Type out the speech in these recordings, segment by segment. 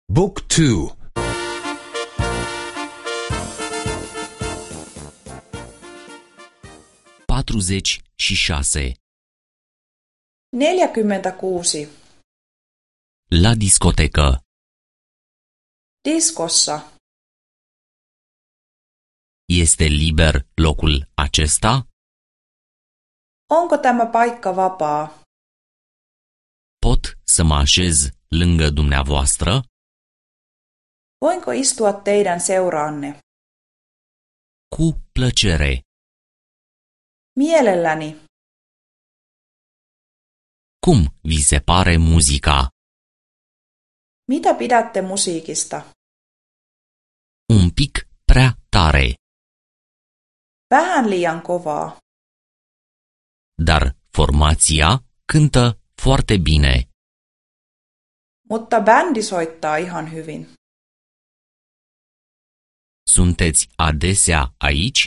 Book 2 46. 46. La discotecă. Diskossa. Este liber locul acesta? Onko tämä paikka vapaa? Pot să mă așez lângă dumneavoastră? Voinko istua teidän seuraanne? Cu plăcere. Mielelläni. Cum vi se pare muzica? Mitä pidätte musiikista? Un pic prea tare, Vähän liian kovaa, dar formația cântă foarte bine. mutta bändi soittaa ihan hyvin. Sunteți adesea aici?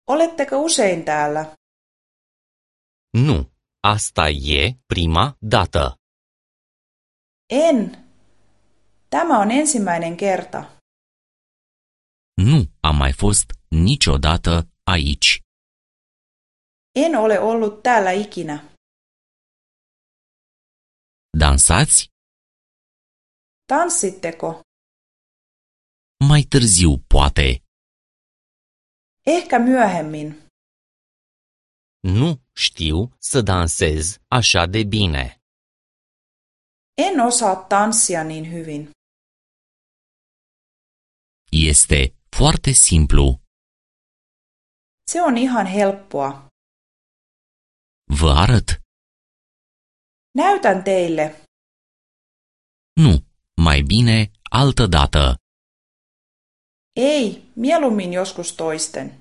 Oletteko usein täällä? Nu, asta e prima dată. En. Tämä on ensimmäinen kerta. Nu am mai fost niciodată aici. En ole ollut täällä ikinä. Dansați? Tanssitteko? Mai târziu, poate. Ehkä myöhemmin. Nu știu să dansez așa de bine. En osaa tanssia niin hyvin. Este foarte simplu. Se on ihan helppoa. Vă arăt. Näytän teille. Nu, mai bine altă dată. Ei, mieluummin joskus toisten.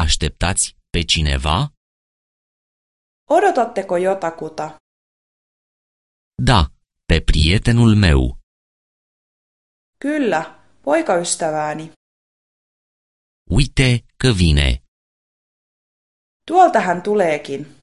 Așteptați pe cineva? Odotatteko jotakuta? Da, pe prietenul meu. Kyllä, poikaystävääni. Uite că vine. Tuolta hän tuleekin.